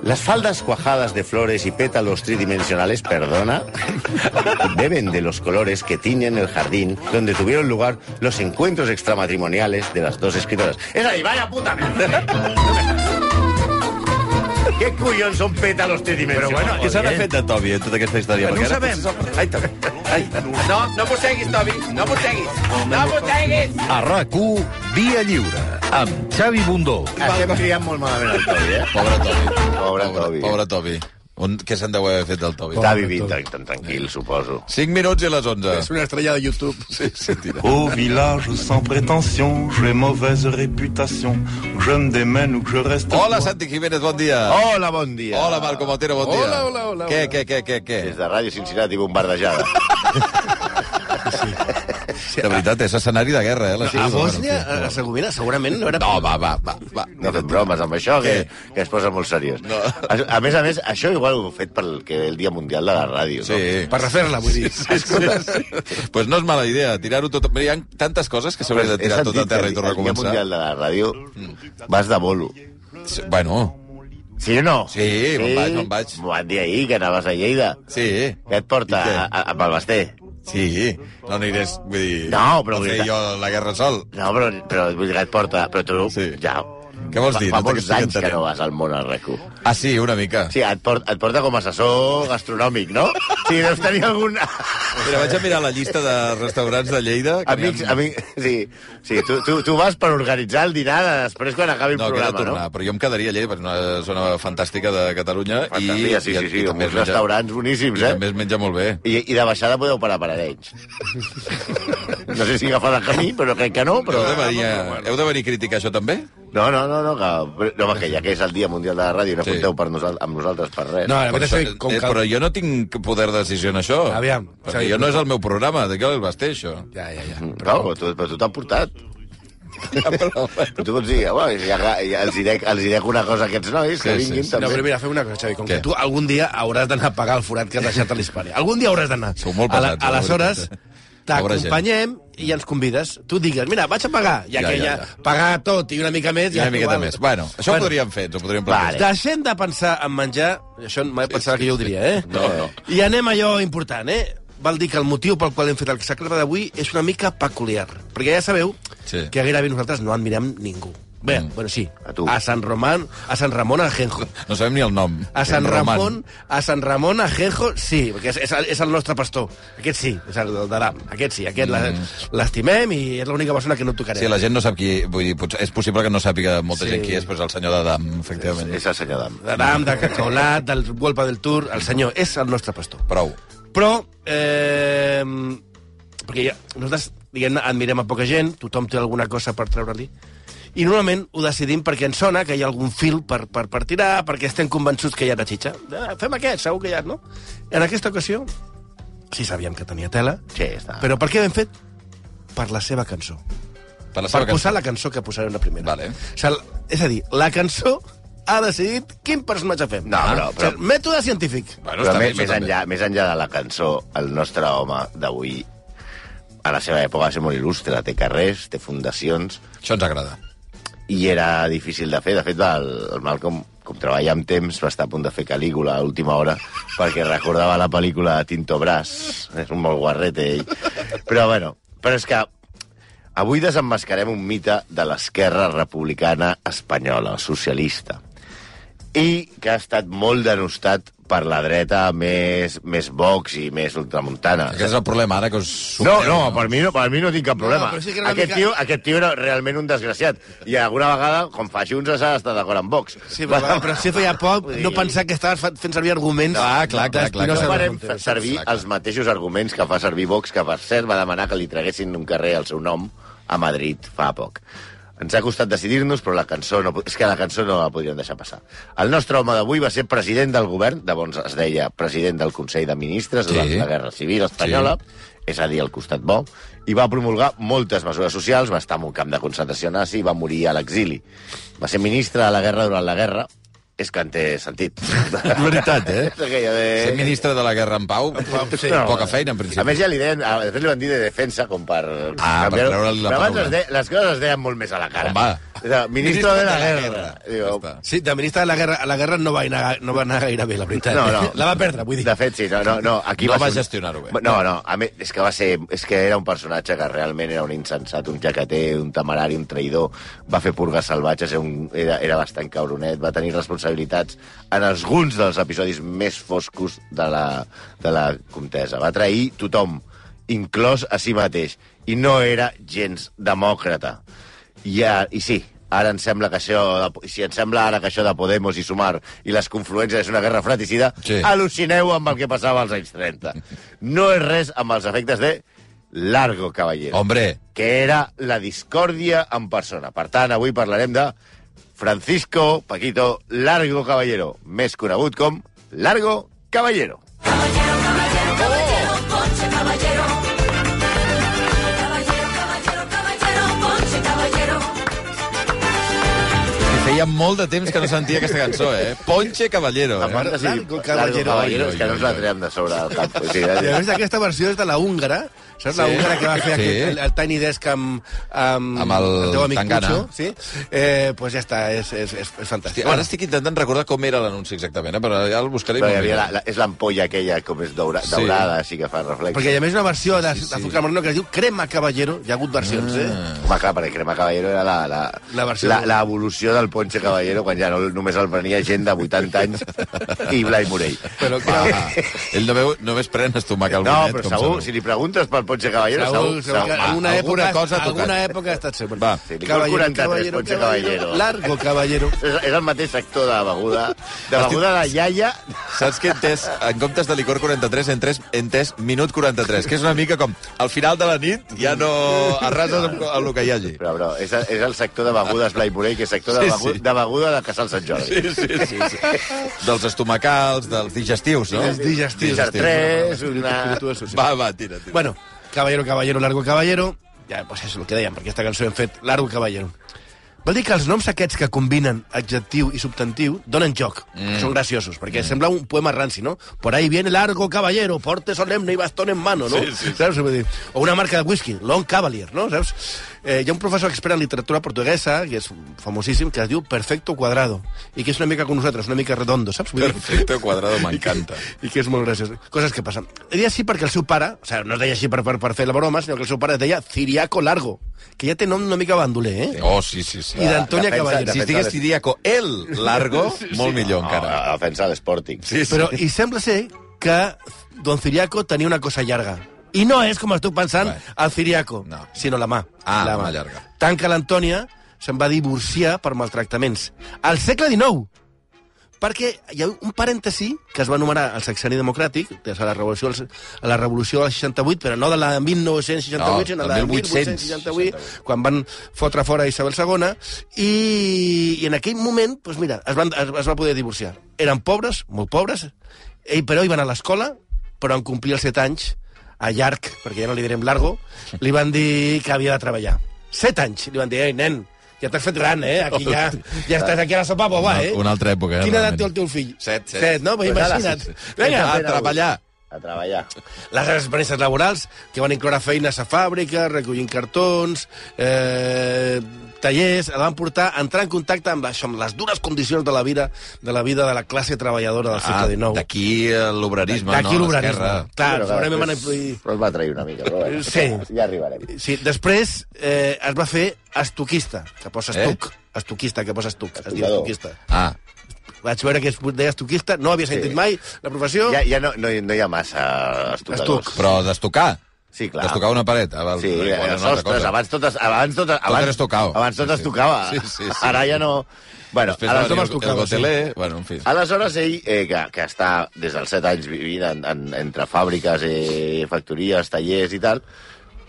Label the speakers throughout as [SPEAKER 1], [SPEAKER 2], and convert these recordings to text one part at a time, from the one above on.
[SPEAKER 1] Las faldas cuajadas de flores y pétalos tridimensionales, perdona, beben de los colores que tiñen el jardín donde tuvieron lugar los encuentros extramatrimoniales de las dos escritoras. És a dir, vaya puta merda. Què collons són pétalos tridimensionals?
[SPEAKER 2] Però bueno, què s'ha fet de Tobi en tota aquesta història?
[SPEAKER 3] No ho sabem. No mosseguis, Tobi, no mosseguis. No mosseguis!
[SPEAKER 4] A RAC1, Via Lliure, amb Xavi Bundó.
[SPEAKER 1] Estem criant molt malament el Tobi, eh?
[SPEAKER 2] Pobre Tobi.
[SPEAKER 1] Pobre Tobi.
[SPEAKER 2] Pobre Tobi. Què se'n deu haver fet del Tobi?
[SPEAKER 1] Està vivint tan tranquil, suposo.
[SPEAKER 2] 5 minuts i les 11.
[SPEAKER 3] És una estrella de YouTube.
[SPEAKER 2] Sí, tira.
[SPEAKER 5] Au village sans prétention, j'ai mauvaise réputation. Je me démène ou que je reste...
[SPEAKER 2] Hola, Santi Jiménez, bon dia.
[SPEAKER 1] Hola, bon dia.
[SPEAKER 2] Hola, Marco Motero, bon dia.
[SPEAKER 3] Hola.
[SPEAKER 2] Què?
[SPEAKER 1] Des de Ràdio Cincinnati, bombardejada.
[SPEAKER 2] De veritat, és escenari de guerra, eh?
[SPEAKER 3] A Bòsnia, a Hercegovina, segurament no era...
[SPEAKER 2] No, va.
[SPEAKER 1] No fem bromes amb això, que es posa molt seriós.
[SPEAKER 2] No.
[SPEAKER 1] A més, això igual ho he fet pel el Dia Mundial de la Ràdio, no?
[SPEAKER 2] Sí.
[SPEAKER 3] Per refer-la, vull dir.
[SPEAKER 2] Pues no és mala idea, tirar-ho tot... Hi ha tantes coses que s'hauria de tirar tot a terra i tornar a
[SPEAKER 1] El Dia
[SPEAKER 2] començar.
[SPEAKER 1] Mundial de la Ràdio vas de bolo.
[SPEAKER 2] Bueno,
[SPEAKER 1] Sí o no?
[SPEAKER 2] Sí, me'n vaig.
[SPEAKER 1] M'ho van dir ahir, que anaves a Lleida.
[SPEAKER 2] sí.
[SPEAKER 1] Què et porta
[SPEAKER 2] I què?
[SPEAKER 1] amb el Basté?
[SPEAKER 2] Sí, no anirés, vull dir...
[SPEAKER 1] No, però
[SPEAKER 2] No
[SPEAKER 1] vull
[SPEAKER 2] feia
[SPEAKER 1] dir-
[SPEAKER 2] jo la guerra sol.
[SPEAKER 1] No, però vull dir que et porta... Però tu
[SPEAKER 2] Sí.
[SPEAKER 1] ja...
[SPEAKER 2] Què vols dir?
[SPEAKER 1] Fa
[SPEAKER 2] No
[SPEAKER 1] molts
[SPEAKER 2] t'estic
[SPEAKER 1] anys que
[SPEAKER 2] entenent.
[SPEAKER 1] no vas al món al RAC1.
[SPEAKER 2] Ah, sí, una mica.
[SPEAKER 1] Sí, et porta com a assessor gastronòmic, no? Sí, deus tenir algun...
[SPEAKER 2] Mira, vaig a mirar la llista de restaurants de Lleida. que n'hi ha-
[SPEAKER 1] Amics, sí, tu vas per organitzar el dinar després quan acabi el
[SPEAKER 2] No, que he de
[SPEAKER 1] programa,
[SPEAKER 2] tornar,
[SPEAKER 1] no?
[SPEAKER 2] però jo em quedaria a Lleida, perquè és una zona fantàstica de Catalunya.
[SPEAKER 1] Fantasia, sí,
[SPEAKER 2] i
[SPEAKER 1] amb
[SPEAKER 2] també
[SPEAKER 1] uns restaurants boníssims,
[SPEAKER 2] I
[SPEAKER 1] eh?
[SPEAKER 2] també es menja molt bé.
[SPEAKER 1] I de baixada podeu parar per Arenys. No sé si agafar el camí, però crec que no. Però...
[SPEAKER 2] Heu de venir a criticar això també?
[SPEAKER 1] No, que ja que és el Dia Mundial de la Ràdio, no
[SPEAKER 2] Sí.
[SPEAKER 1] compteu amb nosaltres per res.
[SPEAKER 3] No, la veritat és que
[SPEAKER 2] Però jo no tinc poder de decisió en això.
[SPEAKER 3] Aviam,
[SPEAKER 2] Perquè
[SPEAKER 3] Xavi,
[SPEAKER 2] jo no és el meu programa, de què el vas fer, això?
[SPEAKER 3] Ja.
[SPEAKER 1] Però tu t'han portat. Però tu pots dir, ja els direc una cosa a aquests nois, que
[SPEAKER 2] Sí,
[SPEAKER 1] vinguin
[SPEAKER 2] sí.
[SPEAKER 1] també.
[SPEAKER 3] No, però mira, fem una cosa, Xavi. Com
[SPEAKER 2] Què?
[SPEAKER 3] que tu algun dia hauràs d'anar a pagar el forat que has deixat a l'Hispània. Algun dia hauràs d'anar.
[SPEAKER 2] Sou molt pesats,
[SPEAKER 3] Aleshores,
[SPEAKER 2] la veritat, Pobra gent.
[SPEAKER 3] t'acompanyem i ens convides. Tu digues, mira, vaig a pagar. Ja que ja pagar tot i una mica més...
[SPEAKER 2] I una
[SPEAKER 3] ja
[SPEAKER 2] miqueta
[SPEAKER 3] igual.
[SPEAKER 2] més. Bueno, això ho podríem fer, ens ho podríem plantejar.
[SPEAKER 1] Vale.
[SPEAKER 3] Deixem de pensar en menjar... Això mai pensava que jo ho diria, eh?
[SPEAKER 1] No.
[SPEAKER 3] I anem a allò important, eh? Val dir que el motiu pel qual hem fet el sacre d'avui és una mica peculiar. Perquè ja sabeu
[SPEAKER 2] Sí.
[SPEAKER 3] que gairebé nosaltres no admirem ningú. Bé, bueno, sí.
[SPEAKER 1] A tu.
[SPEAKER 3] A Sant Ramon Ajenjo.
[SPEAKER 2] No sabem ni el nom.
[SPEAKER 3] A Sant
[SPEAKER 2] Roman.
[SPEAKER 3] Ramon Ajenjo, sí, perquè és el nostre pastor. Aquest sí, és el d'Adam. Aquest sí, aquest l'estimem i és l'única persona que no tocarem.
[SPEAKER 2] Sí, la gent no sap qui... Vull dir, és possible que no sàpiga molta
[SPEAKER 3] Sí.
[SPEAKER 2] gent qui és, però és el senyor d'Adam, efectivament.
[SPEAKER 1] És el senyor Dam.
[SPEAKER 3] D'Adam, de Cacaolat, del Golpa del Tour, el senyor és el nostre pastor.
[SPEAKER 2] Prou.
[SPEAKER 3] Però, perquè ja, nosaltres, diguem-ne, admirem a poca gent, tothom té alguna cosa per treure-li, i normalment ho decidim perquè ens sona que hi ha algun fil per tirar, perquè estem convençuts que hi ha una xitxa. Fem aquest, segur que hi ha, no? En aquesta ocasió, sí sabíem que tenia tela,
[SPEAKER 1] Sí, està.
[SPEAKER 3] però per què l'hem fet? Per la seva cançó.
[SPEAKER 2] Per la
[SPEAKER 3] Per
[SPEAKER 2] seva
[SPEAKER 3] posar
[SPEAKER 2] cançó.
[SPEAKER 3] la cançó que posarem la primera.
[SPEAKER 2] Vale.
[SPEAKER 3] O sigui, és a dir, la cançó ha decidit quin personatge fem.
[SPEAKER 1] No, però-
[SPEAKER 3] O sigui, mètode científic.
[SPEAKER 2] Bueno,
[SPEAKER 1] Però
[SPEAKER 2] està bé,
[SPEAKER 1] més
[SPEAKER 2] això també.
[SPEAKER 1] enllà de la cançó, el nostre home d'avui, a la seva època va ser molt il·lustre. Té carrers, té fundacions,
[SPEAKER 2] Això ens agrada.
[SPEAKER 1] i era difícil de fer. De fet, el Malcolm, com treballa amb temps, va estar a punt de fer Calígula a última hora, perquè recordava la pel·lícula de Tinto Brass. És un molt guarrete, ell. Però és que avui desemmascarem un mite de l'esquerra republicana espanyola, socialista, i que ha estat molt denostat per la dreta més Vox i més ultramuntana.
[SPEAKER 2] Aquest és el problema, ara que us...
[SPEAKER 1] No, per mi no tinc cap problema.
[SPEAKER 3] No, però sí que era una
[SPEAKER 1] Aquest tio era realment un desgraciat. I alguna vegada, com fa Junts, s'ha d'estar d'acord amb Vox.
[SPEAKER 3] Sí, però si feia poc, no pensar que estaves fent servir arguments...
[SPEAKER 2] Clar.
[SPEAKER 1] No
[SPEAKER 2] clar.
[SPEAKER 1] farem servir els mateixos arguments que fa servir Vox, que per cert va demanar que li traguessin un carrer al seu nom a Madrid fa poc. Ens ha costat decidir-nos, però la cançó no la podríem deixar passar. El nostre home d'avui va ser president del govern, llavors es deia president del Consell de Ministres durant la Guerra Civil Espanyola, és a dir, al costat bo, i va promulgar moltes mesures socials, va estar en un camp de concentració nazi i va morir a l'exili. Va ser ministre de la guerra durant la guerra és que en té sentit.
[SPEAKER 2] Veritat,
[SPEAKER 1] És aquella de...
[SPEAKER 2] Ser ministre de la guerra en pau, poca feina, en principi.
[SPEAKER 1] A més, ja li deien, després li van dir de defensa, com per...
[SPEAKER 2] per treure-li la
[SPEAKER 1] Però abans
[SPEAKER 2] paraula.
[SPEAKER 1] les coses es deien molt més a la cara.
[SPEAKER 2] Home.
[SPEAKER 1] Ministre de la guerra. Digo,
[SPEAKER 3] Sí, de ministre de la guerra no va anar gaire bé, la veritat.
[SPEAKER 1] No.
[SPEAKER 3] La va perdre, vull dir.
[SPEAKER 1] De fet, sí, no. Aquí
[SPEAKER 2] No va
[SPEAKER 1] ser
[SPEAKER 2] gestionar-ho bé.
[SPEAKER 1] No, a més, és que era un personatge que realment era un insensat, un jaqueter, un temerari, un traïdor. Va fer purgues salvatges, era bastant cabronet, va tenir responsabilitats en alguns dels episodis més foscos de la contesa. Va trair tothom, inclòs a si mateix, i no era gens demòcrata. I sí, ara ens sembla que això de Podemos i Sumar i les confluències és una guerra fratricida,
[SPEAKER 2] sí.
[SPEAKER 1] Al·lucineu amb el que passava als anys 30. No és res amb els efectes de Largo Caballero.
[SPEAKER 2] Hombre.
[SPEAKER 1] Que era la discòrdia en persona. Per tant, avui parlarem de Francisco Paquito Largo Caballero, més conegut com Largo Caballero.
[SPEAKER 6] Caballero, caballero, caballero, Ponche Caballero. Caballero, caballero, caballero, Ponche Caballero.
[SPEAKER 2] Feia molt de temps que no sentia aquesta cançó, Ponche Caballero,
[SPEAKER 1] A part de dir
[SPEAKER 3] Largo
[SPEAKER 1] Largo Caballero,
[SPEAKER 2] Oi,
[SPEAKER 1] és que no ens la traiem de sobre el cap. O sigui,
[SPEAKER 3] I a més, aquesta versió és de la húngara, saps? La húngara que va fer el Tiny Desk amb el teu amic
[SPEAKER 2] Tangana.
[SPEAKER 3] Pucho, sí? Pues ja està, és fantàstic.
[SPEAKER 2] Ara estic intentant recordar com era l'anunci exactament, però ja el buscaré.
[SPEAKER 1] Però hi havia és l'ampolla aquella com és daurada, així que fa reflex.
[SPEAKER 3] Perquè hi ha més una versió d'Azúcar Moreno que es diu Crema Caballero. Hi ha hagut versions,
[SPEAKER 1] Home, clar, perquè Crema Caballero era l'evolució del Ponche Caballero quan ja només el prenia gent de 80 anys i Blai Morell.
[SPEAKER 3] Però
[SPEAKER 2] Ell només pren estomac al
[SPEAKER 1] No,
[SPEAKER 2] bonet.
[SPEAKER 1] però segur, si li preguntes pel Ponche Caballero, segur.
[SPEAKER 3] alguna
[SPEAKER 2] cosa
[SPEAKER 3] època ha estat sempre.
[SPEAKER 2] Va,
[SPEAKER 1] Sí, li cal 43, Ponche Caballero.
[SPEAKER 3] Largo Caballero.
[SPEAKER 1] És el mateix sector de beguda de iaia.
[SPEAKER 2] Saps que he entès, en comptes de licor 43, he entès minut 43, que és una mica com al final de la nit ja no arrases amb el que hi hagi.
[SPEAKER 1] Però, bro, és el sector de begudes Blai Morell, que és sector de beguda de Casal Sant Jordi.
[SPEAKER 2] Sí. Dels estomacals, dels digestius, no?
[SPEAKER 3] Els digestius.
[SPEAKER 1] Dijar 3,
[SPEAKER 2] Va, tira.
[SPEAKER 3] Bueno, Caballero, Largo Caballero, ja, pues és el que dèiem, perquè aquesta cançó hem fet Largo Caballero. Vol dir que els noms aquests que combinen adjectiu i substantiu donen joc, que són graciosos, perquè sembla un poema ranci, no? Por ahí viene Largo Caballero, porte solemne i bastón en mano, no?
[SPEAKER 2] Sí.
[SPEAKER 3] Saps? Vull dir, o una marca de whisky, Long Cavalier, no? Saps? Hi ha un professor expert en literatura portuguesa, que és famosíssim, que es diu Perfecto Cuadrado, i que és una mica com nosaltres, una mica redondo, saps? Vull dir,
[SPEAKER 2] Perfecto Cuadrado, m'encanta.
[SPEAKER 3] i que és molt graciós. Coses que passen. Deia així perquè el seu pare, o sigui, no es deia així per fer la broma, sinó que el seu pare es deia Ciriaco Largo, que ja té nom una mica bandoler,
[SPEAKER 2] Oh, sí.
[SPEAKER 3] I d'Antònia Caballero.
[SPEAKER 2] Si estigués Ciriaco el Largo, molt millor encara.
[SPEAKER 1] A defensa de l'Sporting.
[SPEAKER 2] Sí.
[SPEAKER 3] Però, i sembla ser que Don Ciriaco tenia una cosa llarga. I no és, com estic pensant, el Ciriaco,
[SPEAKER 2] No.
[SPEAKER 3] sinó la mà.
[SPEAKER 2] La mà llarga.
[SPEAKER 3] Tant que l'Antònia se'n va divorciar per maltractaments. Al segle XIX, perquè hi ha un parèntesi que es va anomenar el Sexenni Democràtic, des de la revolució del 68, però no de la 1968, sinó de la 1868, quan van fotre fora Isabel II, i en aquell moment, doncs mira, es va poder divorciar. Eren pobres, molt pobres, però hi van a l'escola, però en complir els 7 anys, a llarg, perquè ja no li direm largo, li van dir que havia de treballar. 7 anys, li van dir, ei, nen, ja t'has fet gran, aquí ja estàs aquí a la sopa boba,
[SPEAKER 2] Una altra època,
[SPEAKER 3] Quina edat té el teu fill?
[SPEAKER 2] 7,
[SPEAKER 3] no? Pues imagina't. Vinga,
[SPEAKER 2] a treballar.
[SPEAKER 1] A treballar.
[SPEAKER 3] Les experiències laborals, que van incloure feines a fàbrica, recollint cartons, tallers, el van portar a entrar en contacte amb això, amb les dures condicions de la vida de la classe treballadora del segle XIX.
[SPEAKER 2] D'aquí l'obrerisme, no?
[SPEAKER 3] D'aquí l'obrerisme. Clar,
[SPEAKER 1] Però
[SPEAKER 3] segurament van influir...
[SPEAKER 1] Però es va trair una mica, però bueno,
[SPEAKER 3] Sí.
[SPEAKER 1] ja arribarem.
[SPEAKER 3] Sí, després es va fer estuquista, que posa estuc. Estuquista, que posa estuc. Es diu
[SPEAKER 1] Estucador.
[SPEAKER 3] estuquista. Vaig veure que es deia estuquista, no havia sentit mai la professió.
[SPEAKER 1] Ja no hi ha massa estucadors.
[SPEAKER 2] Però d'estucar.
[SPEAKER 1] Sí, clar.
[SPEAKER 2] D'estucar una paret.
[SPEAKER 1] Sí, els sostres, abans tot
[SPEAKER 2] era estucau.
[SPEAKER 1] Abans tot es tocava.
[SPEAKER 2] Sí.
[SPEAKER 1] Ara ja no... Bueno,
[SPEAKER 2] Després
[SPEAKER 1] aleshores
[SPEAKER 2] va
[SPEAKER 1] es
[SPEAKER 2] venir el
[SPEAKER 1] tocava,
[SPEAKER 2] goteler, bueno, en fi.
[SPEAKER 1] Aleshores ell, que està des dels 7 anys vivint entre fàbriques, factories, tallers i tal,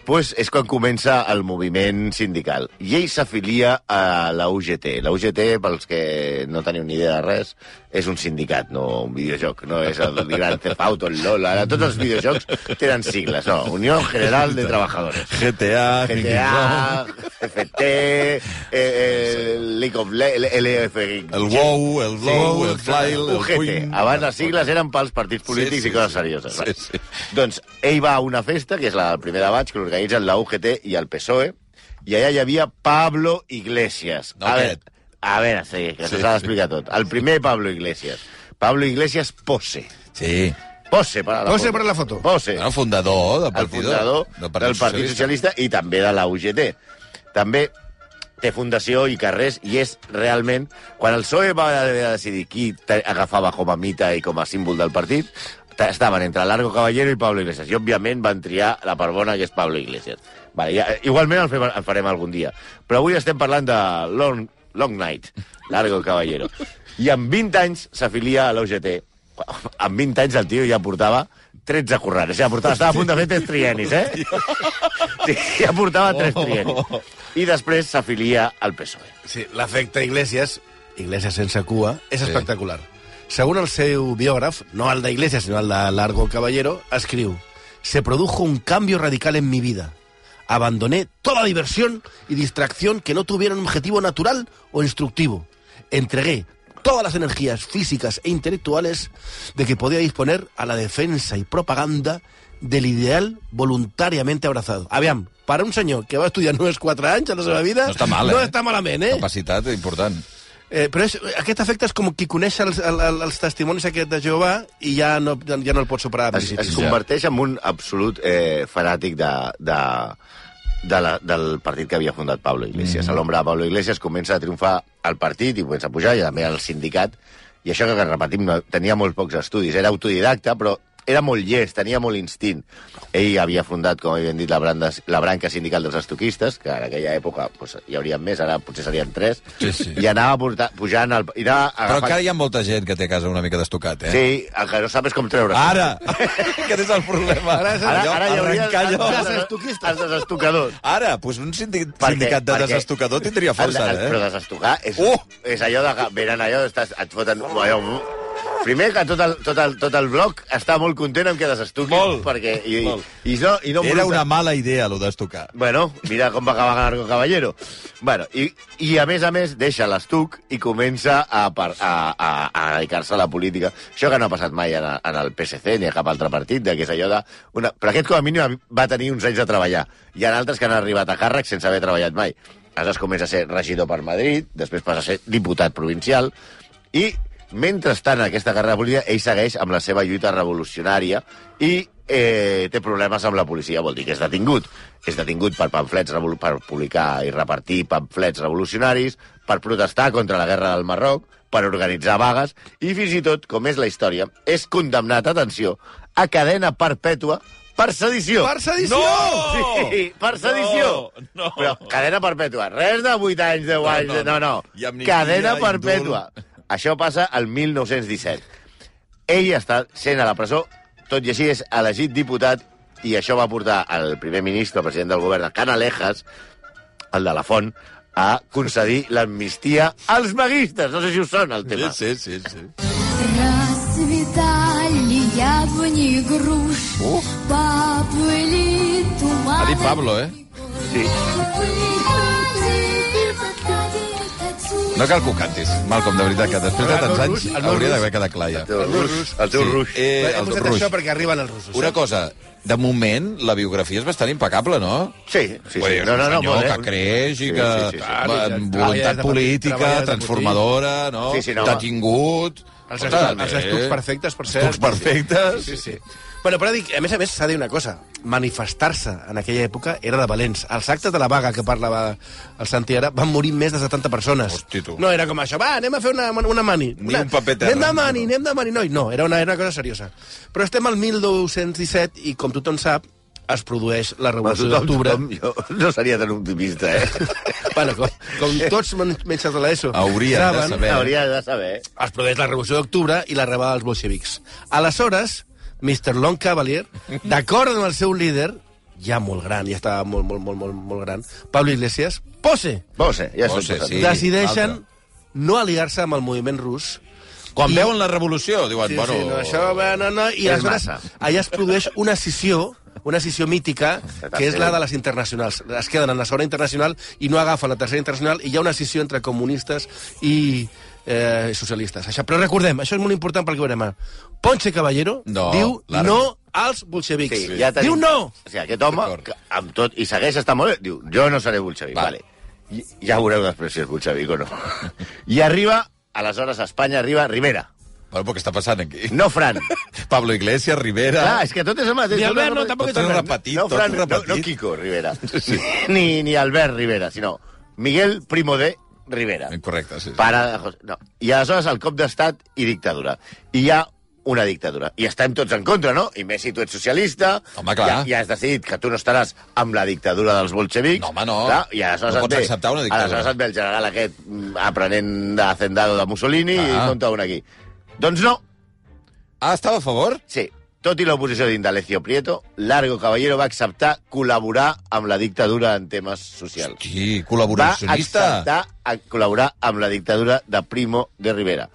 [SPEAKER 1] pues és quan comença el moviment sindical. I ell s'afilia a la UGT. La UGT, pels que no teniu ni idea de res, és un sindicat, no un videojoc. No és el Grand Theft Auto, el LOL. Ara tots els videojocs tenen sigles. No, Unió General de Trabajadores.
[SPEAKER 2] GTA,
[SPEAKER 1] CFT, League of LF...
[SPEAKER 2] el WoW, el Blow, el Fly, el
[SPEAKER 1] UGT.
[SPEAKER 2] Queen...
[SPEAKER 1] Abans les sigles eren pels partits polítics i coses serioses.
[SPEAKER 2] Sí.
[SPEAKER 1] Doncs ell va a una festa, que és el primer de maig, que l'organitzen la UGT i el PSOE, i allà hi havia Pablo Iglesias.
[SPEAKER 2] No,
[SPEAKER 1] A veure, sí, que s'ha d'explicar tot. El primer Pablo Iglesias. Pablo Iglesias Pose.
[SPEAKER 2] Sí.
[SPEAKER 1] Pose para la
[SPEAKER 3] Pose
[SPEAKER 1] foto.
[SPEAKER 3] para la foto.
[SPEAKER 1] Pose.
[SPEAKER 2] El fundador del
[SPEAKER 1] El fundador del Partit Socialista i també de la UGT. També té fundació i carrers, i és realment... Quan el PSOE va haver de decidir qui agafava com a mita i com a símbol del partit, estaven entre Largo Caballero i Pablo Iglesias, i òbviament van triar la part bona, que és Pablo Iglesias. Vale, ja, igualment el farem algun dia. Però avui estem parlant de Long Night, Largo Caballero. I amb 20 anys s'afilia a l'UGT. Amb 20 anys el tio ja portava 13 currants. Estava a punt de fer 3 trienis, Sí, ja portava 3 trienis. I després s'afilia al PSOE.
[SPEAKER 3] Sí, l'efecte Iglesias sense cua, és espectacular. Según el seu biògraf, no el de Iglesias, sino el de Largo Caballero, escriu: «Se produjo un cambio radical en mi vida. Abandoné toda diversión y distracción que no tuvieran un objetivo natural o instructivo. Entregué todas las energías físicas e intelectuales de que podía disponer a la defensa y propaganda del ideal voluntariamente abrazado». Aviam, per a un senyor que va estudiar només 4 anys a la seva vida,
[SPEAKER 2] no està mal,
[SPEAKER 3] no està malament,
[SPEAKER 2] Capacitat important.
[SPEAKER 3] Però aquest efecte és com qui coneix els testimonis aquest de Jehovà i ja no el pot superar.
[SPEAKER 1] Es converteix en un absolut fanàtic del partit que havia fundat Pablo Iglesias. A l'ombra de Pablo Iglesias comença a triomfar el partit i comença a pujar, i també el sindicat. I això que repetim, tenia molt pocs estudis. Era autodidacta, però era molt llest, tenia molt instint. Ell havia fundat, com havien dit, la branca sindical dels estoquistes, que en aquella època hi hauria més, ara potser serien 3, i anava pujant...
[SPEAKER 2] Però encara hi ha molta gent que té a casa una mica d'estocat,
[SPEAKER 1] Sí, el que no sap és com treure.
[SPEAKER 2] Ara! Aquest és el problema.
[SPEAKER 1] Ara hi hauria els desestocadors.
[SPEAKER 2] Ara, doncs un sindicat de desestocador tindria força,
[SPEAKER 1] Però desestocar és allò de... Venen allò, et foten... Primer que tot el bloc està molt content amb que desestuquin.
[SPEAKER 2] Molt.
[SPEAKER 1] Perquè,
[SPEAKER 2] Era una mala idea, allò d'estocar.
[SPEAKER 1] Bueno, mira com va acabar Largo Caballero. Bueno, i a més, deixa l'estuc i comença a dedicar-se a la política. Això que no ha passat mai en el PSC ni a cap altre partit, que és allò de... Però aquest, com a mínim, va tenir uns anys de treballar. Hi ha altres que han arribat a càrrec sense haver treballat mai. Aleshores comença a ser regidor per Madrid, després passa a ser diputat provincial, i mentrestant, en aquesta carrera política, ell segueix amb la seva lluita revolucionària i té problemes amb la policia. Vol dir que és detingut. És detingut per pamflets, per publicar i repartir pamflets revolucionaris, per protestar contra la guerra del Marroc, per organitzar vagues, i fins i tot, com és la història, és condemnat, atenció, a cadena perpètua per sedició.
[SPEAKER 3] Per sedició!
[SPEAKER 1] No! Sí, per sedició.
[SPEAKER 2] No.
[SPEAKER 1] Però cadena perpètua. Res de 8 anys, 10 anys... No. Cadena perpètua. Això passa al 1917. Ell està sent a la presó, tot i així és elegit diputat, i això va portar al primer ministre, el president del govern de Canalejas, el de la Font, a concedir l'amnistia als vaguistes. No sé si us sona el tema.
[SPEAKER 2] Sí.
[SPEAKER 6] Расцветали яблони и груши, поплыли туманы.
[SPEAKER 2] Ha dit Pablo,
[SPEAKER 1] Sí.
[SPEAKER 2] No cal que ho cantis, Malcolm, de veritat, que després de tants anys hauria d'haver quedat clar ja.
[SPEAKER 1] El teu ruix.
[SPEAKER 3] Hem posat això perquè arriben els russos.
[SPEAKER 2] Una cosa, de moment, la biografia és bastant impecable, no?
[SPEAKER 1] Sí.
[SPEAKER 2] No, senyor que creix i que... Voluntat política, transformadora, no? Detingut...
[SPEAKER 3] Els estucs perfectes, per cert.
[SPEAKER 2] Estucs perfectes.
[SPEAKER 3] Sí. Bueno, però dic, a més, s'ha de dir una cosa. Manifestar-se en aquella època era de valents. Als actes de la vaga que parlava el Santi ara van morir més de 70 persones.
[SPEAKER 2] Hosti, tu.
[SPEAKER 3] No era com això, va, anem a fer una mani.
[SPEAKER 2] Ni un paper terra.
[SPEAKER 3] Anem de mani. No, era una cosa seriosa. Però estem al 1217 i, com tothom sap, es produeix la Revolució d'Octubre.
[SPEAKER 1] Jo no seria tan optimista,
[SPEAKER 3] Bueno, com tots menys de l'ESO
[SPEAKER 2] Hauria de saber.
[SPEAKER 3] Es produeix la Revolució d'Octubre i la rebel dels bolxevics. Aleshores, Mr. Long Cavalier, d'acord amb el seu líder, ja molt gran, ja estava molt gran, Pablo Iglesias, Pose,
[SPEAKER 1] Ja estic
[SPEAKER 2] Pose,
[SPEAKER 1] posant.
[SPEAKER 2] sí.
[SPEAKER 3] decideixen no aliar-se amb el moviment rus.
[SPEAKER 2] Quan veuen la revolució, diuen, bueno...
[SPEAKER 3] Sí, no, això, no, i
[SPEAKER 1] És
[SPEAKER 3] aleshores
[SPEAKER 1] massa.
[SPEAKER 3] allà es produeix una escissió mítica, que és la de les internacionals. Es queden en la segona internacional i no agafen la tercera internacional, i hi ha una escissió entre comunistes i socialistes. Això. Però recordem, això és molt important perquè ho veurem ara. Ponce Caballero diu no als bolxevics.
[SPEAKER 1] Sí, ja tenim.
[SPEAKER 3] Diu no!
[SPEAKER 1] O sigui, aquest home, que amb tot, i segueix estant molt bé, diu, jo no seré bolxevic. Vale. Ja veureu després si és bolxevic o no. I arriba, aleshores a Espanya arriba Rivera.
[SPEAKER 2] Bueno, però què està passant aquí?
[SPEAKER 1] No Fran.
[SPEAKER 2] Pablo Iglesias, Rivera...
[SPEAKER 1] Clar, és que tot és el mateix.
[SPEAKER 3] Ni Albert, no, tampoc
[SPEAKER 2] Tot és repetit,
[SPEAKER 1] No, Fran,
[SPEAKER 2] tot repetit.
[SPEAKER 1] no Kiko Rivera. Sí. Ni Albert Rivera, sinó Miguel Primo de Rivera.
[SPEAKER 2] Correcte, sí.
[SPEAKER 1] Pare de José... No. I aleshores el cop d'estat i dictadura. I hi ha una dictadura. I estem tots en contra, no? I més si tu ets socialista...
[SPEAKER 2] Home, clar.
[SPEAKER 1] Ja has decidit que tu no estaràs amb la dictadura dels bolxevics.
[SPEAKER 2] No, home, no.
[SPEAKER 1] Clar, i aleshores
[SPEAKER 2] No
[SPEAKER 1] et
[SPEAKER 2] pots
[SPEAKER 1] ve,
[SPEAKER 2] acceptar una dictadura.
[SPEAKER 1] Aleshores et ve el general aquest aprenent d'hacendado de Mussolini i compta un aquí. Doncs no.
[SPEAKER 2] Ah, estava a favor?
[SPEAKER 1] Sí. Tot i l'oposició d'Indalecio Prieto, Largo Caballero va acceptar col·laborar amb la dictadura en temes socials.
[SPEAKER 2] Sí,
[SPEAKER 1] Va
[SPEAKER 2] col·laboracionista.
[SPEAKER 1] acceptar a col·laborar amb la dictadura de Primo de Rivera.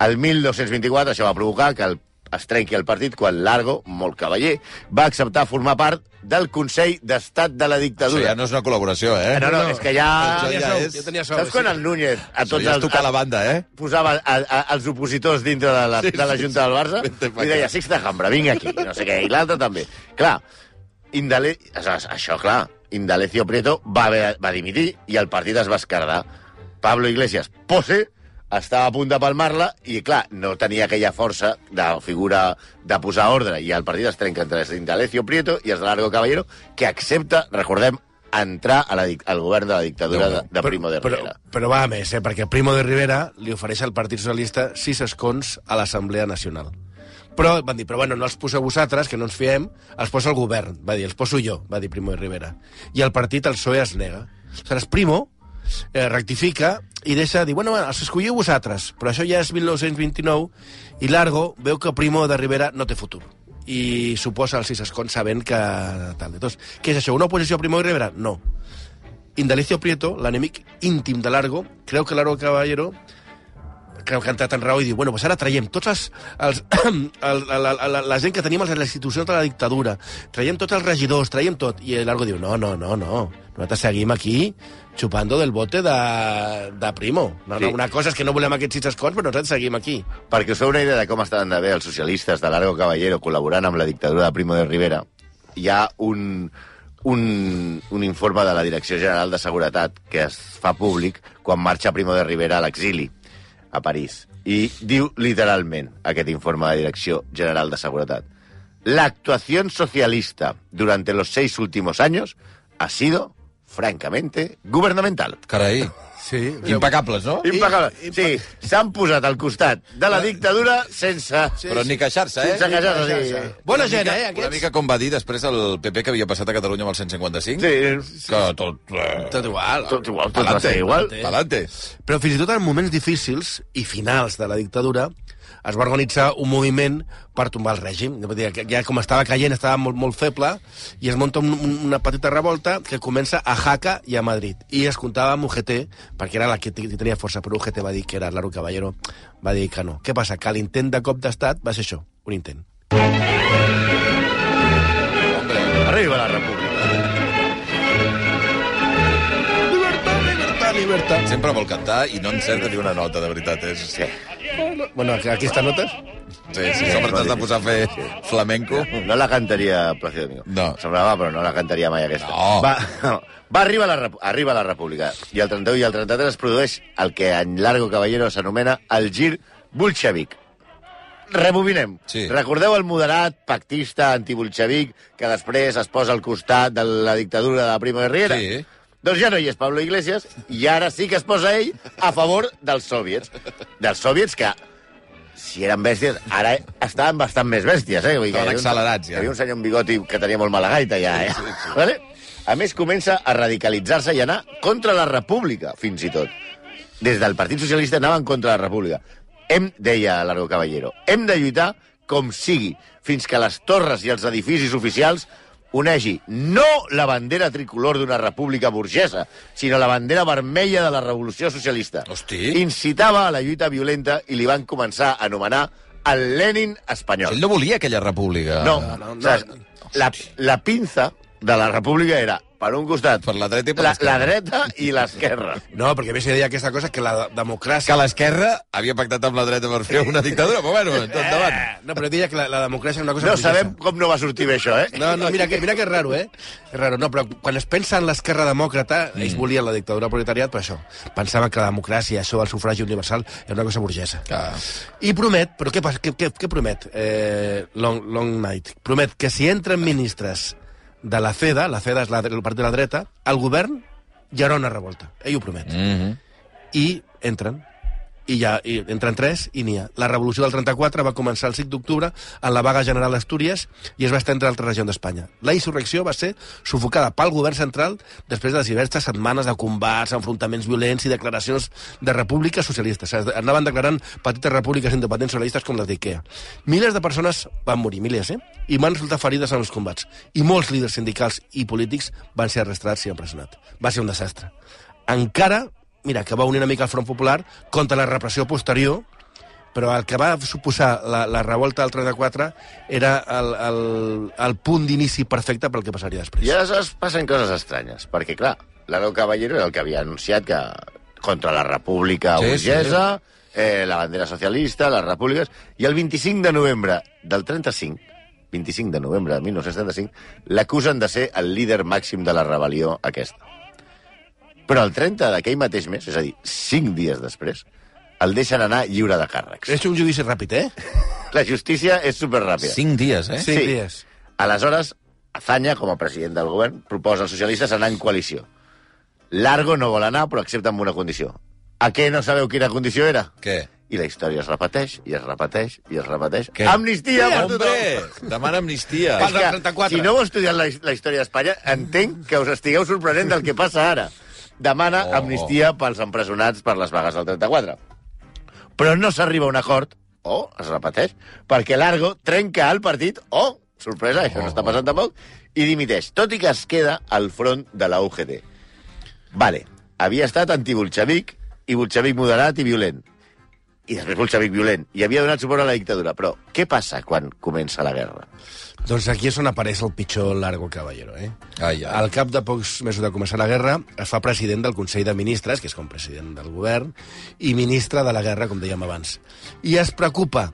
[SPEAKER 1] El 1224 això va provocar que es trenqui el partit quan Largo, molt cavaller, va acceptar formar part del Consell d'Estat de la
[SPEAKER 2] Això
[SPEAKER 1] Dictadura.
[SPEAKER 2] ja no és una col·laboració, eh?
[SPEAKER 1] No, és que ja...
[SPEAKER 2] Això ja és...
[SPEAKER 3] Ja tenia sou,
[SPEAKER 1] Saps quan el Núñez a
[SPEAKER 2] Això
[SPEAKER 1] tots
[SPEAKER 2] ja és tocar la banda, eh?
[SPEAKER 1] posava els opositors dintre de la Junta del Barça
[SPEAKER 2] Vente pa
[SPEAKER 1] i deia, Sixta Jambra, vinga aquí, no sé què, i l'altre també. Clar, això, clar, Indalecio Prieto va dimitir i el partit es va esquerdar. Pablo Iglesias, Pose, estava a punt de palmar-la i, clar, no tenia aquella força de figura de posar ordre i el partit es trenca entre Indalecio Prieto i els de Largo Caballero, que accepta, recordem, entrar al govern de la dictadura de Primo de Rivera.
[SPEAKER 3] Però va a més, perquè Primo de Rivera li ofereix al Partit Socialista 6 escons a l'Assemblea Nacional. Però van dir, però bueno, no els poseu vosaltres, que no ens fiem, els posa el govern. Va dir, els poso jo, va dir Primo de Rivera. I el partit, el PSOE, es nega. Aleshores, Primo rectifica i deixa dir, bueno, els escolliu vosaltres, però això ja és 1929 i Largo veu que Primo de Rivera no té futur i suposa els 6 escons sabent que tal. Entonces, què és això, una oposició a Primo de Rivera? No. Indalecio Prieto, l'enemic íntim de Largo, creu que Largo Caballero creu que ha entrat en raó i diu, bueno, pues ara traiem tots la gent que tenim a les institucions de la dictadura, traiem tots els regidors, traiem tot. I Largo diu, no, nosaltres seguim aquí chupando del bote de Primo. No, una cosa és que no volem aquests 6 escons, però nosaltres seguim aquí.
[SPEAKER 1] Perquè us feu una idea de com estaven de bé els socialistes de Largo Caballero col·laborant amb la dictadura de Primo de Rivera, hi ha un informe de la Direcció General de Seguretat que es fa públic quan marxa Primo de Rivera a l'exili a París. Y diu literalment aquest informe de la Direcció General de Seguretat: la actuación socialista durante los 6 últimos años ha sido francamente gubernamental.
[SPEAKER 2] Carai.
[SPEAKER 3] Sí.
[SPEAKER 2] Impecables, no?
[SPEAKER 1] Impecable. Sí, s'han posat al costat de la dictadura sense...
[SPEAKER 2] Però ni queixar-se, eh?
[SPEAKER 1] Sense queixar-se, sí.
[SPEAKER 3] Bona gent,
[SPEAKER 2] Una
[SPEAKER 3] aquests?
[SPEAKER 2] mica com va dir després el PP que havia passat a Catalunya amb el 155.
[SPEAKER 1] Sí.
[SPEAKER 2] Que tot...
[SPEAKER 3] Tot igual.
[SPEAKER 1] Tot igual, tot va ser igual.
[SPEAKER 2] Palante.
[SPEAKER 3] Però fins i tot en moments difícils i finals de la dictadura es va organitzar un moviment per tombar el règim. Vull dir, que ja com estava caient, estava molt feble, i es munta una petita revolta que comença a Jaca i a Madrid. I es comptava amb UGT, perquè era la que tenia força, però UGT va dir que era Largo Caballero, va dir que no. Què passa? Que l'intent de cop d'estat va ser això, un intent.
[SPEAKER 1] Arriba la república.
[SPEAKER 3] Libertad.
[SPEAKER 2] Sempre vol cantar i no encerta ni una nota, de veritat. És...
[SPEAKER 1] Sí.
[SPEAKER 3] Bueno, aquestes notes...
[SPEAKER 2] Sí, sempre t'has de posar a fer flamenco.
[SPEAKER 1] No la cantaria Plácido Domingo.
[SPEAKER 2] No.
[SPEAKER 1] Semblava, però no la cantaria mai aquesta.
[SPEAKER 2] No.
[SPEAKER 1] Va arribar arriba la República. I el 31 i el 33 es produeix el que en Largo Caballero s'anomena el gir bolxevic. Rebobinem.
[SPEAKER 2] Sí.
[SPEAKER 1] Recordeu el moderat pactista antibolxevic que després es posa al costat de la dictadura de Primo de Rivera?
[SPEAKER 2] Sí.
[SPEAKER 1] Doncs ja no hi és Pablo Iglesias, i ara sí que es posa ell a favor dels soviets. Dels soviets que, si eren bèsties, ara estaven bastant més bèsties, eh? Vull dir que
[SPEAKER 2] Estaven accelerats, ja.
[SPEAKER 1] Hi havia un senyor amb bigoti que tenia molt mala gaita, ja, eh? Sí. Vale? A més, comença a radicalitzar-se i anar contra la república, fins i tot. Des del Partit Socialista anaven contra la república. Deia Largo Caballero, hem de lluitar com sigui, fins que les torres i els edificis oficials onegi no la bandera tricolor d'una república burgesa, sinó la bandera vermella de la Revolució Socialista.
[SPEAKER 2] Hosti.
[SPEAKER 1] Incitava a la lluita violenta i li van començar a anomenar el Lenin espanyol.
[SPEAKER 2] Ell no volia aquella república.
[SPEAKER 1] No, saps? La pinza de la república era, per un costat,
[SPEAKER 2] Per la dreta i per
[SPEAKER 1] la
[SPEAKER 2] l'esquerra.
[SPEAKER 1] dreta i l'esquerra.
[SPEAKER 3] No, perquè a més hi deia aquesta cosa que la democràcia...
[SPEAKER 2] Que l'esquerra havia pactat amb la dreta per fer una dictadura, però bueno, endavant.
[SPEAKER 3] No, però deia que la democràcia és una cosa...
[SPEAKER 1] No
[SPEAKER 3] burgesa.
[SPEAKER 1] sabem com no va sortir bé això, eh?
[SPEAKER 3] No, mira que és raro, eh? És raro, no, però quan es pensa en l'esquerra demòcrata, ells volien la dictadura proletariat, però això, pensaven que la democràcia, això, el sufragi universal, era una cosa burgesa. I promet, però què passa? Què promet Long Night? Promet que si entren ministres de la CEDA és el partit de la dreta, al govern hi haurà una revolta. Ell ho promet. I entren. I entren 3 i n'hi ha. La revolució del 34 va començar el 5 d'octubre en la vaga general d'Astúries i es va estendre a altres regions d'Espanya. La insurrecció va ser sufocada pel govern central després de les diverses setmanes de combats, enfrontaments violents i declaracions de repúbliques socialistes. Anaven declarant petites repúbliques independents socialistes com les d'Ikea. Milers de persones van morir, milers, i van resultar ferides en els combats. I molts líders sindicals i polítics van ser arrestats i empresonats. Va ser un desastre. Encara mira, que va unir una mica el Front Popular contra la repressió posterior, però el que va suposar la revolta del 34 era el punt d'inici perfecte pel que passaria després.
[SPEAKER 1] I aleshores passen coses estranyes, perquè, clar, l'Aro Caballero era el que havia anunciat que contra la república burgesa, la bandera socialista, les repúbliques, i el 25 de novembre del 35, 25 de novembre de 1935, l'acusen de ser el líder màxim de la rebel·lió aquesta. Però el 30 d'aquell mateix mes, és a dir, 5 dies després, el deixen anar lliure de càrrecs.
[SPEAKER 3] És un judici ràpid, eh?
[SPEAKER 1] La justícia és superràpida.
[SPEAKER 2] 5 dies, eh?
[SPEAKER 3] 5 dies.
[SPEAKER 1] Aleshores, Azaña, com a president del govern, proposa als socialistes anar en coalició. Largo no vol anar, però accepta amb una condició. A què no sabeu quina condició era?
[SPEAKER 2] Què?
[SPEAKER 1] I la història es repeteix, i es repeteix, i es repeteix.
[SPEAKER 2] Què?
[SPEAKER 1] Amnistia per tothom!
[SPEAKER 2] Hombre, demana amnistia.
[SPEAKER 3] Pels
[SPEAKER 1] És que,
[SPEAKER 3] 34.
[SPEAKER 1] si no heu estudiat la història d'Espanya, entenc que us estigueu sorprenent del que passa ara. Demana amnistia pels empresonats per les vagues del 34. Però no s'arriba a un acord, o es repeteix, perquè Largo trenca el partit, o, sorpresa, això no està passant tampoc, i dimiteix, tot i que es queda al front de la UGT. Vale, havia estat antibolxevic i bolxevic moderat i violent. I després bolxevic violent. I havia donat suport a la dictadura. Però què passa quan comença la guerra?
[SPEAKER 3] Doncs aquí és on apareix el pitjor Largo Caballero, eh?
[SPEAKER 2] Ai, ai.
[SPEAKER 3] Al cap de pocs mesos de començar la guerra, es fa president del Consell de Ministres, que és com president del govern, i ministre de la guerra, com dèiem abans. I es preocupa,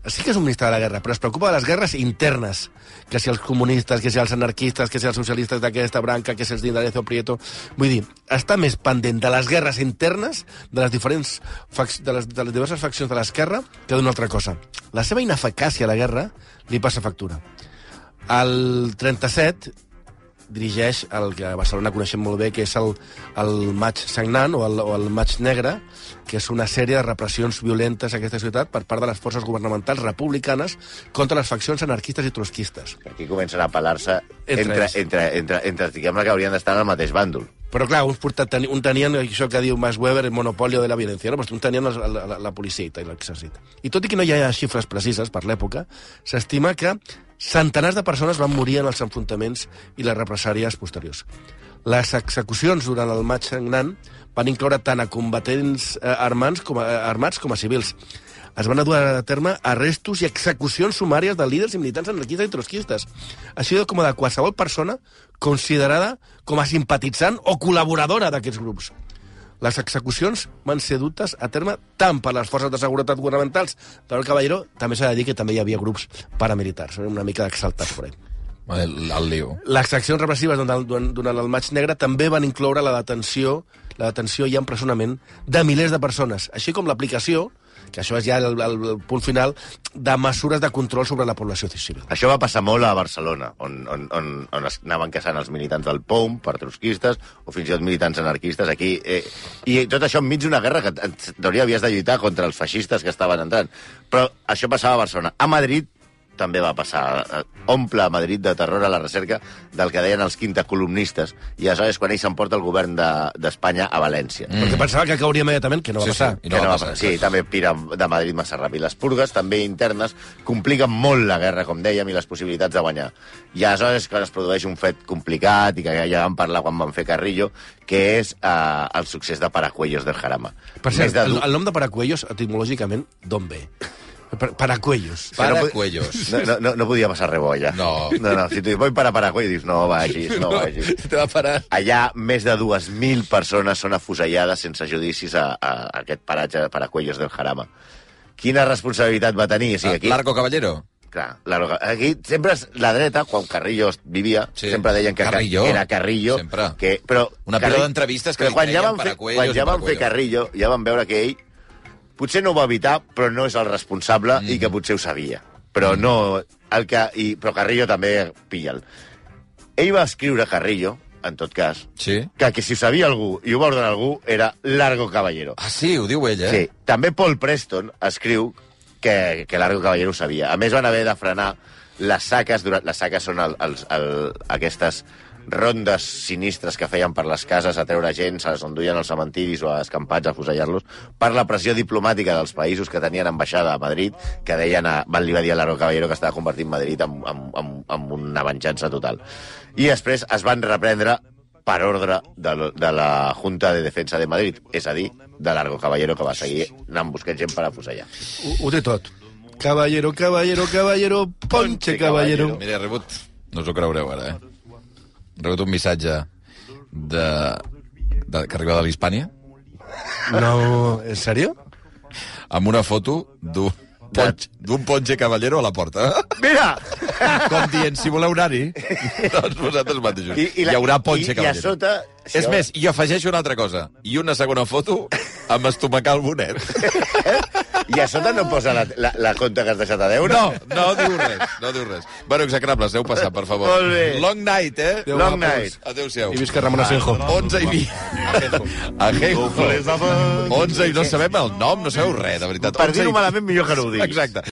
[SPEAKER 3] sí que és un ministre de la guerra, però es preocupa de les guerres internes, que si els comunistes, que si els anarquistes, que si els socialistes d'aquesta branca, que si els d'Indalecio Prieto... Vull dir, està més pendent de les guerres internes de les diferents de les diverses faccions de l'esquerra que d'una altra cosa. La seva ineficàcia a la guerra li passa factura. El 37 dirigeix el que a Barcelona coneixem molt bé, que és el Maig Sagnant o el Maig Negre, que és una sèrie de repressions violentes a aquesta ciutat per part de les forces governamentals republicanes contra les faccions anarquistes i trotskistes.
[SPEAKER 1] Aquí comencen a pelar-se
[SPEAKER 3] Entre
[SPEAKER 1] entre diguem-ne, que haurien d'estar en el mateix bàndol.
[SPEAKER 3] Però clar, un tenien això que diu Max Weber, el monopolio de la violència, no? Un tenien la policia i l'exèrcit. I tot i que no hi ha xifres precises per l'època, s'estima que centenars de persones van morir en els enfrontaments i les represàries posteriors. Les execucions durant el Maig Sagnant van incloure tant a combatents armats com a civils. Es van dur a terme arrestos i execucions sumàries de líders i militants anarquistes i trotskistes, així com de qualsevol persona considerada com a simpatitzant o col·laboradora d'aquests grups. Les execucions van ser dutes a terme tant per les forces de seguretat governamentals, però el Caballero també s'ha de dir que també hi havia grups paramilitars, una mica d'exaltats per ell.
[SPEAKER 2] El lío.
[SPEAKER 3] Les accions repressives durant el Maig Negre també van incloure la detenció i empresonament de milers de persones, així com l'aplicació, que això és ja el punt final, de mesures de control sobre la població civil.
[SPEAKER 1] Això va passar molt a Barcelona, on es anaven caçant els militants del POUM per trotskistes, o fins i tot militants anarquistes aquí. I tot això enmig d'una guerra que en teoria havies de lluitar contra els feixistes que estaven entrant. Però això passava a Barcelona. A Madrid també va passar. Omple Madrid de terror a la recerca del que deien els quintacolumnistes, i aleshores quan ell s'emporta el govern d'Espanya a València.
[SPEAKER 3] Perquè pensava que cauria immediatament, que no va passar.
[SPEAKER 2] I no va passar.
[SPEAKER 1] Sí, també pira de Madrid massa ràpid. Les purgues, també internes, compliquen molt la guerra, com dèiem, i les possibilitats de guanyar. I aleshores quan es produeix un fet complicat, i que ja vam parlar quan vam fer Carrillo, que és el succés de Paracuellos del Jarama.
[SPEAKER 3] Per cert, el nom de Paracuellos, etimològicament, d'on ve? Paracuellos.
[SPEAKER 2] Paracuellos.
[SPEAKER 1] No podia passar res bo, allà.
[SPEAKER 2] No.
[SPEAKER 1] Si tu voy para Paracuellos, dius, no vagis.
[SPEAKER 2] Te va parar.
[SPEAKER 1] Allà, més de 2.000 persones són afusellades sense judicis a aquest paratge de Paracuellos del Jarama. Quina responsabilitat va tenir? O sigui, aquí...
[SPEAKER 2] Largo Caballero?
[SPEAKER 1] Clar, aquí sempre la dreta, quan Carrillo vivia, sempre deien que era Carrillo.
[SPEAKER 2] Sempre.
[SPEAKER 1] Però
[SPEAKER 2] una pila d'entrevistes que li treien Paracuellos.
[SPEAKER 1] Quan ja van fer Carrillo, ja van veure que ell potser no ho va evitar, però no és el responsable i que potser ho sabia. Però no... Però Carrillo també pilla'l. Ell va escriure, Carrillo, en tot cas, que si ho sabia algú i ho va ordenar algú, era Largo Caballero.
[SPEAKER 2] Ah, sí? Ho diu ell, eh?
[SPEAKER 1] Sí. També Paul Preston escriu que Largo Caballero ho sabia. A més, van haver de frenar les saques. Les saques són aquestes rondes sinistres que feien per les cases a treure gent, se les enduien als cementiris o a escampats a fusellar-los, per la pressió diplomàtica dels països que tenien ambaixada a Madrid, que deien li va dir a Largo Caballero que estava convertint Madrid en una venjança total. I després es van reprendre per ordre de la Junta de Defensa de Madrid, és a dir, de Largo Caballero, que va seguir anant buscant gent per afusellar.
[SPEAKER 3] Ho té tot. Caballero, caballero, caballero, ponche caballero.
[SPEAKER 2] Mira, he rebut, no us ho creureu ara, he rebut un missatge que arriba de l'Hispània.
[SPEAKER 3] No, en sèrio?
[SPEAKER 2] Amb una foto d'un ponche caballero a la porta.
[SPEAKER 1] Mira!
[SPEAKER 2] Com dient, si voleu anar-hi, doncs vosaltres mateixos. Hi haurà ponche caballero.
[SPEAKER 1] I a sota...
[SPEAKER 2] És més, i afegeixo una altra cosa. I una segona foto amb estomacar el bonet.
[SPEAKER 1] I a sota no posa la compta que has deixat a deure?
[SPEAKER 2] No diu res. Bueno, execrables, aneu passant, per favor.
[SPEAKER 1] Molt bé.
[SPEAKER 2] Long night, eh?
[SPEAKER 1] Long night.
[SPEAKER 2] Adéu-siau.
[SPEAKER 3] I visca Ramon Asenjo.
[SPEAKER 2] 11 i 20. Ajenjo. 11 i no sabem el nom, no sabeu res, de veritat.
[SPEAKER 1] Per dir-ho malament, millor que no ho diguis.
[SPEAKER 2] Exacte.